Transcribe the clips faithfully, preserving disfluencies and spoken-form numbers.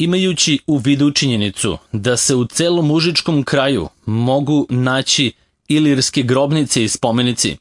Imajući u vidu činjenicu da se u celom užičkom kraju mogu naći ilirske grobnice i spomenici,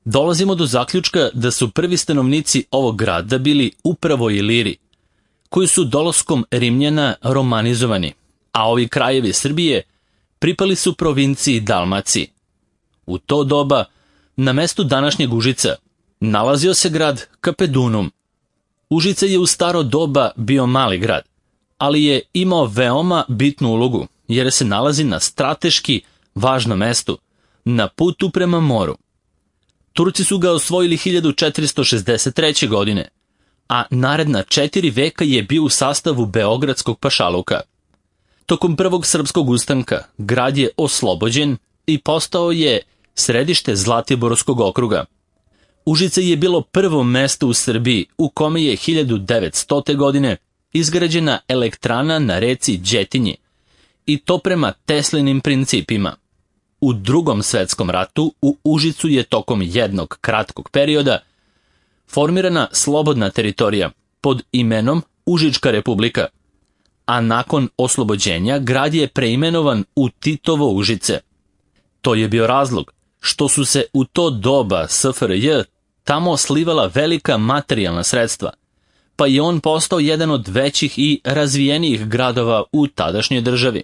dolazimo do zaključka da su prvi stanovnici ovog grada bili upravo Iliri, koji su dolaskom Rimljana romanizovani, a ovi krajevi Srbije pripali su provinciji Dalmaciji. U to doba, na mestu današnjeg Užica, nalazio se grad Kapedunum. Užice je u staro doba bio mali grad, ali je imao veoma bitnu ulogu, jer se nalazi na strateški važnom mestu, na putu prema moru. Turci su ga osvojili hiljadu četiristo šezdeset treće. godine, a naredna četiri veka je bio u sastavu Beogradskog pašaluka. Tokom prvog srpskog ustanka grad je oslobođen i postao je središte Zlatiborskog okruga. Užice je bilo prvo mesto u Srbiji u kome je hiljadu devetstote. godine izgrađena elektrana na reci Đetinji, i to prema Teslinim principima. U Drugom svetskom ratu u Užicu je tokom jednog kratkog perioda formirana slobodna teritorija pod imenom Užička republika, a nakon oslobođenja grad je preimenovan u Titovo Užice. To je bio razlog što su se u to doba S F R J tamo slivala velika materijalna sredstva, pa je on postao jedan od većih i razvijenijih gradova u tadašnjoj državi.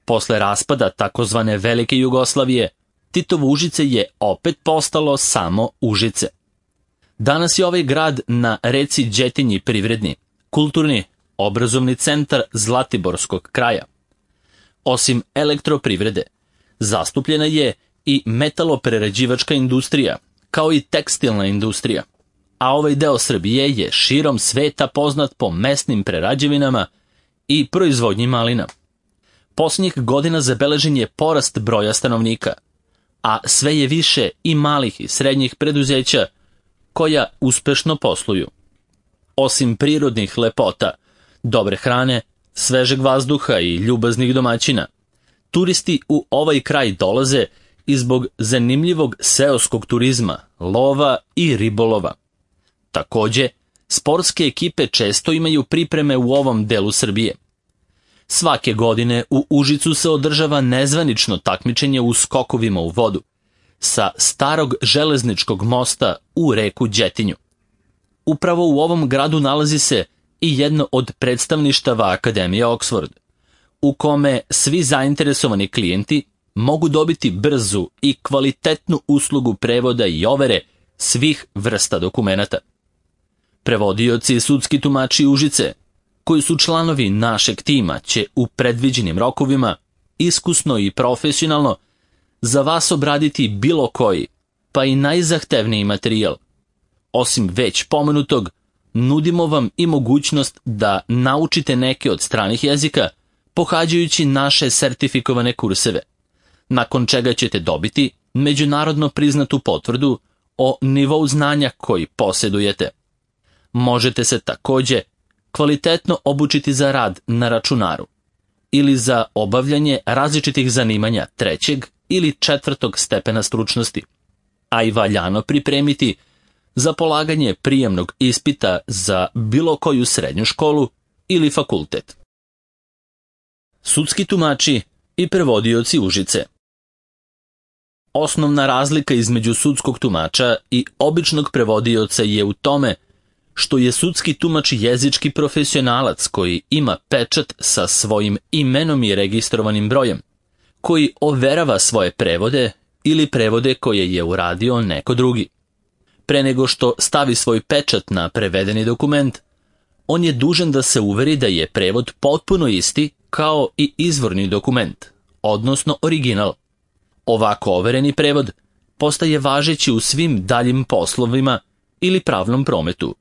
Posle raspada takozvane Velike Jugoslavije, Titovo Užice je opet postalo samo Užice. Danas je ovaj grad na reci Đetinji privredni, kulturni, obrazovni centar Zlatiborskog kraja. Osim elektroprivrede, zastupljena je i metaloprerađivačka industrija, kao i tekstilna industrija, a ovaj deo Srbije je širom sveta poznat po mesnim prerađevinama i proizvodnji malina. Posljednjih godina zabeležen je porast broja stanovnika, a sve je više i malih i srednjih preduzeća koja uspešno posluju. Osim prirodnih lepota, dobre hrane, svežeg vazduha i ljubaznih domaćina, turisti u ovaj kraj dolaze i zbog zanimljivog seoskog turizma, lova i ribolova. Takođe, sportske ekipe često imaju pripreme u ovom delu Srbije. Svake godine u Užicu se održava nezvanično takmičenje u skokovima u vodu sa starog železničkog mosta u reku Đetinju. Upravo u ovom gradu nalazi se i jedno od predstavništava Akademije Oxford, u kome svi zainteresovani klijenti mogu dobiti brzu i kvalitetnu uslugu prevoda i overe svih vrsta dokumenata. Prevodioci i sudski tumači Užice, koji su članovi našeg tima, će u predviđenim rokovima, iskusno i profesionalno, za vas obraditi bilo koji, pa i najzahtevniji materijal. Osim već pomenutog, nudimo vam i mogućnost da naučite neke od stranih jezika, pohađajući naše sertifikovane kurseve, nakon čega ćete dobiti međunarodno priznatu potvrdu o nivou znanja koji posjedujete. Možete se takođe kvalitetno obučiti za rad na računaru ili za obavljanje različitih zanimanja trećeg ili četvrtog stepena stručnosti, a i valjano pripremiti za polaganje prijemnog ispita za bilo koju srednju školu ili fakultet. Sudski tumači i prevodioci Užice. Osnovna razlika između sudskog tumača i običnog prevodioca je u tome što je sudski tumač jezički profesionalac koji ima pečat sa svojim imenom i registrovanim brojem, koji overava svoje prevode ili prevode koje je uradio neko drugi. Pre nego što stavi svoj pečat na prevedeni dokument, on je dužan da se uveri da je prevod potpuno isti kao i izvorni dokument, odnosno original. Ovako overeni prevod postaje važeći u svim daljim poslovima ili pravnom prometu.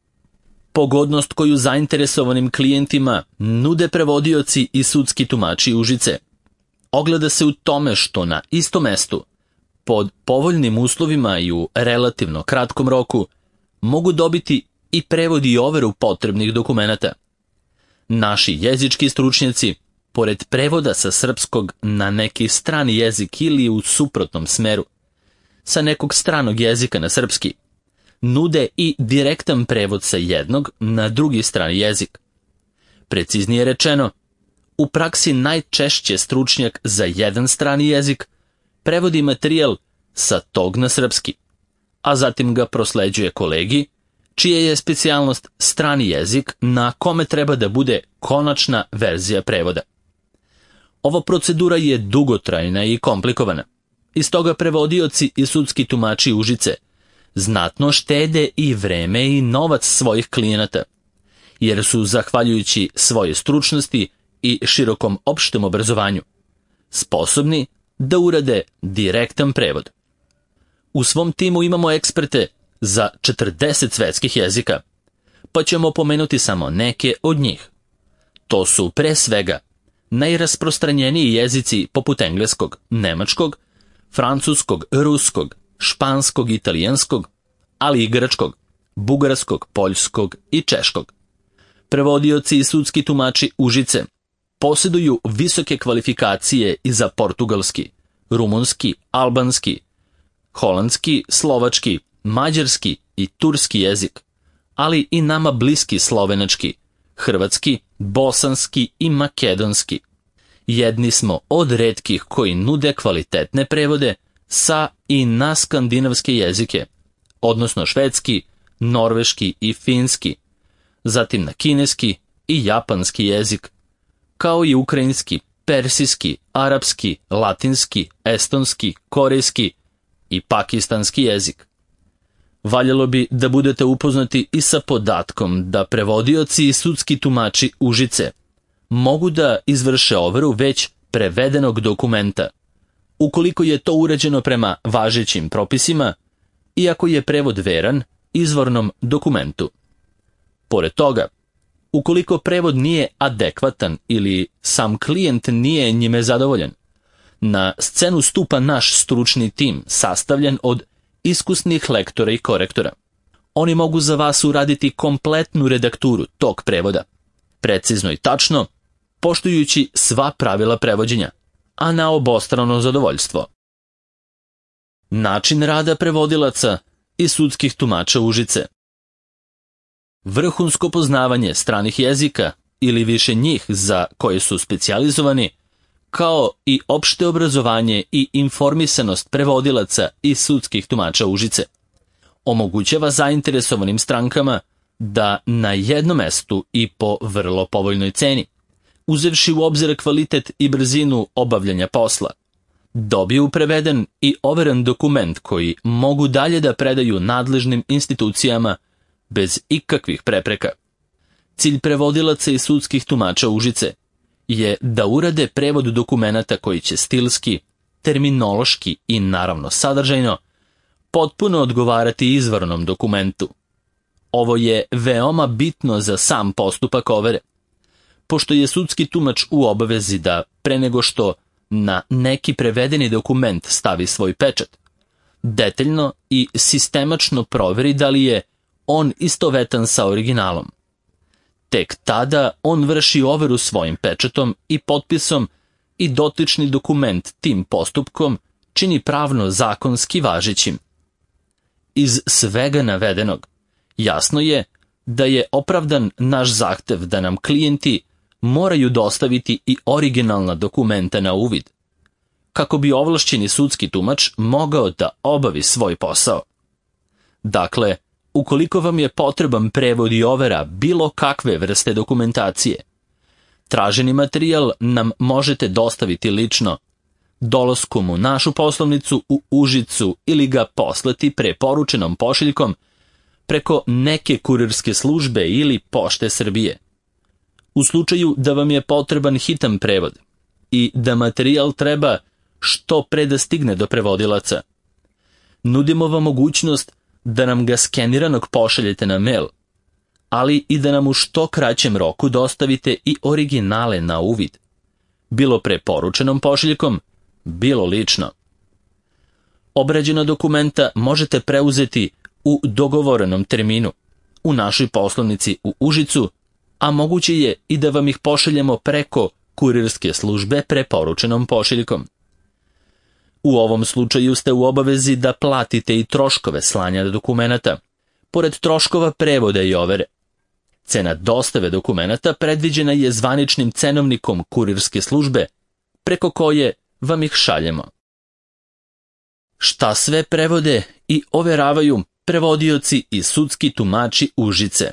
Pogodnost koju zainteresovanim klijentima nude prevodioci i sudski tumači Užice ogleda se u tome što na istom mestu, pod povoljnim uslovima i u relativno kratkom roku, mogu dobiti i prevod i overu potrebnih dokumenata. Naši jezički stručnjaci, pored prevoda sa srpskog na neki strani jezik ili u suprotnom smeru, sa nekog stranog jezika na srpski, nude i direktan prevod sa jednog na drugi strani jezik. Preciznije rečeno, u praksi najčešće stručnjak za jedan strani jezik prevodi materijal sa tog na srpski, a zatim ga prosleđuje kolegi, čija je specijalnost strani jezik na kome treba da bude konačna verzija prevoda. Ova procedura je dugotrajna i komplikovana, i stoga prevodioci i sudski tumači Užice znatno štede i vreme i novac svojih klijenata, jer su, zahvaljujući svoje stručnosti i širokom opštem obrazovanju, sposobni da urade direktan prevod. U svom timu imamo eksperte za četrdeset svetskih jezika, pa ćemo pomenuti samo neke od njih. To su pre svega najrasprostranjeniji jezici poput engleskog, nemačkog, francuskog, ruskog, španskog, italijanskog, ali i grčkog, bugarskog, poljskog i češkog. Prevodioci i sudski tumači Užice posjeduju visoke kvalifikacije i za portugalski, rumunski, albanski, holandski, slovački, mađarski i turski jezik, ali i nama bliski slovenački, hrvatski, bosanski i makedonski. Jedni smo od retkih koji nude kvalitetne prevode sa i na skandinavske jezike, odnosno švedski, norveški i finski, zatim na kineski i japanski jezik, kao i ukrajinski, persijski, arapski, latinski, estonski, korejski i pakistanski jezik. Valjalo bi da budete upoznati i sa podatkom da prevodioci i sudski tumači Užice mogu da izvrše overu već prevedenog dokumenta, ukoliko je to urađeno prema važećim propisima i ako je prevod veran izvornom dokumentu. Pored toga, ukoliko prevod nije adekvatan ili sam klijent nije njime zadovoljan, na scenu stupa naš stručni tim sastavljen od iskusnih lektora i korektora. Oni mogu za vas uraditi kompletnu redakturu tog prevoda, precizno i tačno, poštujući sva pravila prevođenja, a na obostrano zadovoljstvo. Način rada prevodilaca i sudskih tumača Užice. Vrhunsko poznavanje stranih jezika ili više njih za koje su specijalizovani, kao i opšte obrazovanje i informisanost prevodilaca i sudskih tumača Užice, omogućava zainteresovanim strankama da na jednom mestu i po vrlo povoljnoj ceni, uzevši u obzir kvalitet i brzinu obavljanja posla, dobiju preveden i overen dokument koji mogu dalje da predaju nadležnim institucijama bez ikakvih prepreka. Cilj prevodilaca i sudskih tumača Užice je da urade prevod dokumenata koji će stilski, terminološki i naravno sadržajno potpuno odgovarati izvornom dokumentu. Ovo je veoma bitno za sam postupak overe, pošto je sudski tumač u obavezi da pre nego što na neki prevedeni dokument stavi svoj pečat, detaljno i sistemačno proveri da li je on istovetan sa originalom. Tek tada on vrši overu svojim pečatom i potpisom i dotični dokument tim postupkom čini pravno zakonski važećim. Iz svega navedenog jasno je da je opravdan naš zahtev da nam klijenti moraju dostaviti i originalna dokumenta na uvid, kako bi ovlašćeni sudski tumač mogao da obavi svoj posao. Dakle, ukoliko vam je potreban prevod i overa bilo kakve vrste dokumentacije, traženi materijal nam možete dostaviti lično, dolaskom u našu poslovnicu u Užicu ili ga poslati preporučenom pošiljkom preko neke kurirske službe ili Pošte Srbije. U slučaju da vam je potreban hitan prevod i da materijal treba što pre da stigne do prevodilaca, nudimo vam mogućnost da nam ga skeniranog pošaljete na mail, ali i da nam u što kraćem roku dostavite i originale na uvid, bilo preporučenom pošiljkom, bilo lično. Obrađena dokumenta možete preuzeti u dogovorenom terminu u našoj poslovnici u Užicu, a moguće je i da vam ih pošaljemo preko kurirske službe preporučenom pošiljkom. U ovom slučaju ste u obavezi da platite i troškove slanja dokumenata, pored troškova prevoda i overe. Cena dostave dokumenata predviđena je zvaničnim cenovnikom kurirske službe, preko koje vam ih šaljemo. Šta sve prevode i overavaju prevodioci i sudski tumači Užice?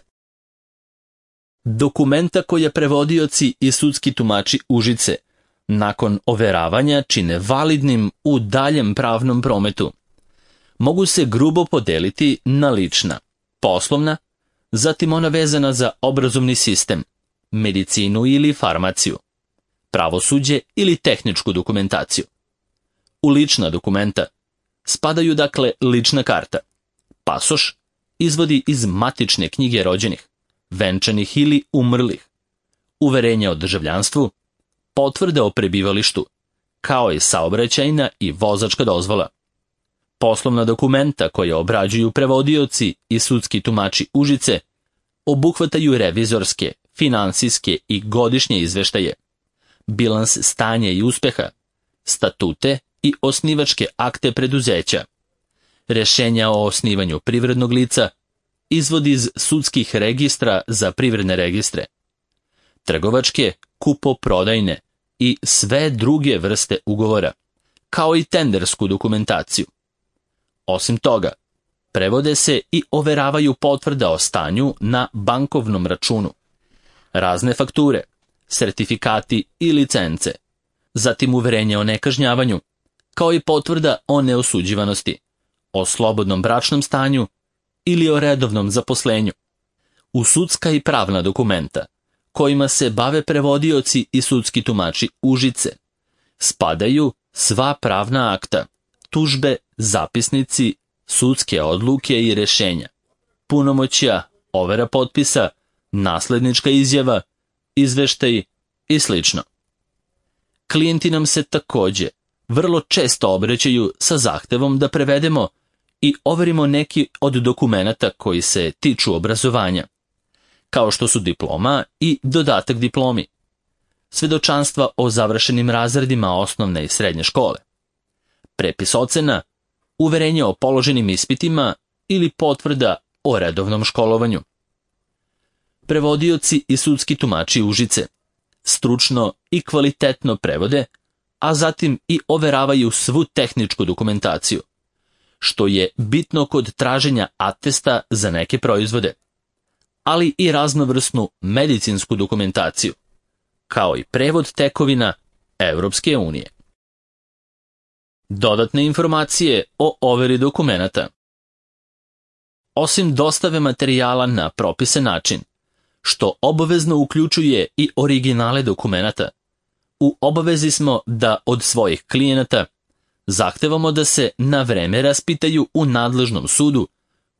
Dokumenta koje prevodioci i sudski tumači Užice nakon overavanja čine validnim u daljem pravnom prometu, mogu se grubo podeliti na lična, poslovna, zatim ona vezana za obrazovni sistem, medicinu ili farmaciju, pravosuđe ili tehničku dokumentaciju. U lična dokumenta spadaju dakle lična karta, pasoš, izvodi iz matične knjige rođenih, venčanih ili umrlih, uverenja o državljanstvu, potvrde o prebivalištu, kao i saobraćajna i vozačka dozvola. Poslovna dokumenta koje obrađuju prevodioci i sudski tumači Užice obuhvataju revizorske, finansijske i godišnje izveštaje, bilans stanja i uspeha, statute i osnivačke akte preduzeća, rešenja o osnivanju privrednog lica, izvod iz sudskih registra za privredne registre, trgovačke, kupoprodajne i sve druge vrste ugovora, kao i tendersku dokumentaciju. Osim toga, prevode se i overavaju potvrda o stanju na bankovnom računu, razne fakture, sertifikati i licence, zatim uverenje o nekažnjavanju, kao i potvrda o neosuđivanosti, o slobodnom bračnom stanju ili o redovnom zaposlenju. U sudska i pravna dokumenta, kojima se bave prevodioci i sudski tumači Užice, spadaju sva pravna akta, tužbe, zapisnici, sudske odluke i rešenja, punomoćja, overa potpisa, naslednička izjava, izveštaj i sl. Klijenti nam se takođe vrlo često obraćaju sa zahtevom da prevedemo i overimo neki od dokumenata koji se tiču obrazovanja, kao što su diploma i dodatak diplomi, svedočanstva o završenim razredima osnovne i srednje škole, prepis ocena, uverenje o položenim ispitima ili potvrda o redovnom školovanju. Prevodioci i sudski tumači Užice stručno i kvalitetno prevode, a zatim i overavaju svu tehničku dokumentaciju, što je bitno kod traženja atesta za neke proizvode, ali i raznovrsnu medicinsku dokumentaciju, kao i prevod tekovina Evropske unije. Dodatne informacije o overi dokumenata. Osim dostave materijala na propisan način, što obavezno uključuje i originale dokumenata, u obavezi smo da od svojih klijenata zahtevamo da se na vreme raspitaju u nadležnom sudu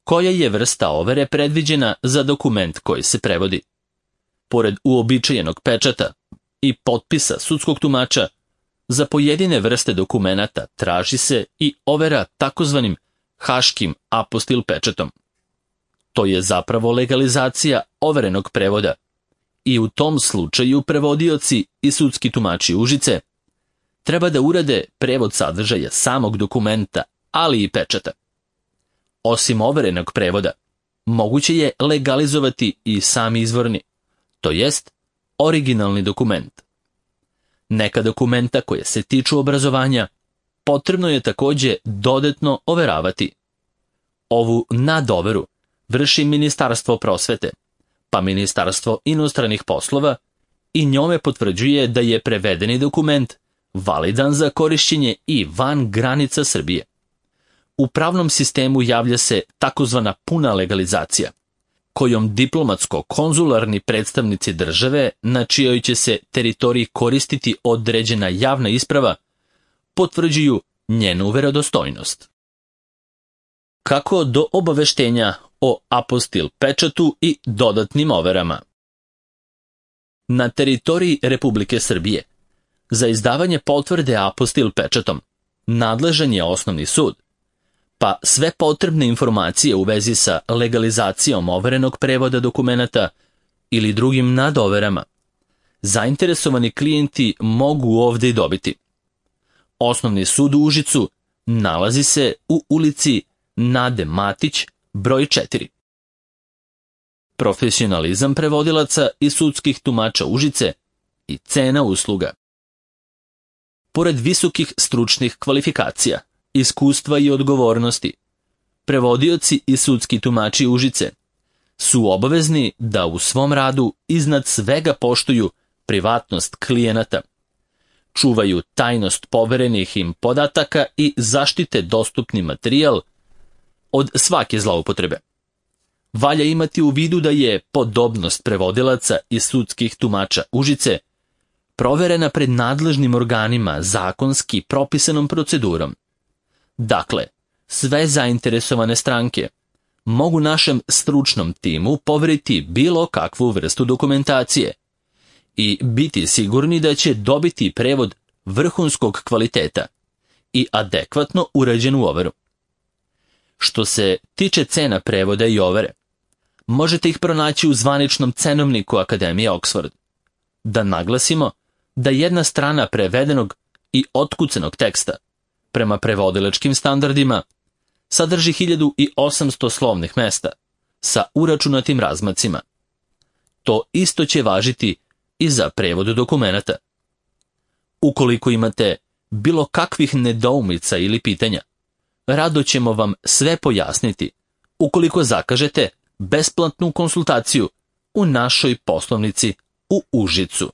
koja je vrsta overe predviđena za dokument koji se prevodi. Pored uobičajenog pečata i potpisa sudskog tumača, za pojedine vrste dokumenata traži se i overa takozvanim haškim apostil pečatom. To je zapravo legalizacija overenog prevoda i u tom slučaju prevodioci i sudski tumači Užice treba da urade prevod sadržaja samog dokumenta, ali i pečata. Osim overenog prevoda, moguće je legalizovati i sam izvorni, to jest originalni dokument. Neka dokumenta koje se tiču obrazovanja potrebno je takođe dodatno overavati. Ovu nadoveru vrši Ministarstvo prosvete, pa Ministarstvo inostranih poslova i njome potvrđuje da je prevedeni dokument validan za korišćenje i van granica Srbije. U pravnom sistemu javlja se takozvana puna legalizacija, kojom diplomatsko-konzularni predstavnici države na čijoj će se teritoriji koristiti određena javna isprava potvrđuju njenu verodostojnost. Kako do obaveštenja o apostil pečatu i dodatnim overama? Na teritoriji Republike Srbije za izdavanje potvrde apostil pečatom nadležan je osnovni sud, pa sve potrebne informacije u vezi sa legalizacijom overenog prevoda dokumenata ili drugim nadoverama zainteresovani klijenti mogu ovdje i dobiti. Osnovni sud u Užicu nalazi se u ulici Nade Matić, broj četiri. profesionalizam prevodilaca i sudskih tumača Užice i cena usluga. Pored visokih stručnih kvalifikacija, iskustva i odgovornosti, prevodioci i sudski tumači Užice su obavezni da u svom radu iznad svega poštuju privatnost klijenata, čuvaju tajnost poverenih im podataka i zaštite dostupni materijal od svake zloupotrebe. Valja imati u vidu da je podobnost prevodilaca i sudskih tumača Užice proverena pred nadležnim organima zakonski propisanom procedurom. Dakle, sve zainteresovane stranke mogu našem stručnom timu poveriti bilo kakvu vrstu dokumentacije i biti sigurni da će dobiti prevod vrhunskog kvaliteta i adekvatno urađenu overu. Što se tiče cena prevoda i overe, možete ih pronaći u zvaničnom cenovniku Akademije Oxford. Da naglasimo da jedna strana prevedenog i otkucanog teksta prema prevodilačkim standardima sadrži hiljadu osamsto slovnih mesta sa uračunatim razmacima. To isto će važiti i za prevod dokumenata. Ukoliko imate bilo kakvih nedoumica ili pitanja, rado ćemo vam sve pojasniti ukoliko zakažete besplatnu konsultaciju u našoj poslovnici u Užicu.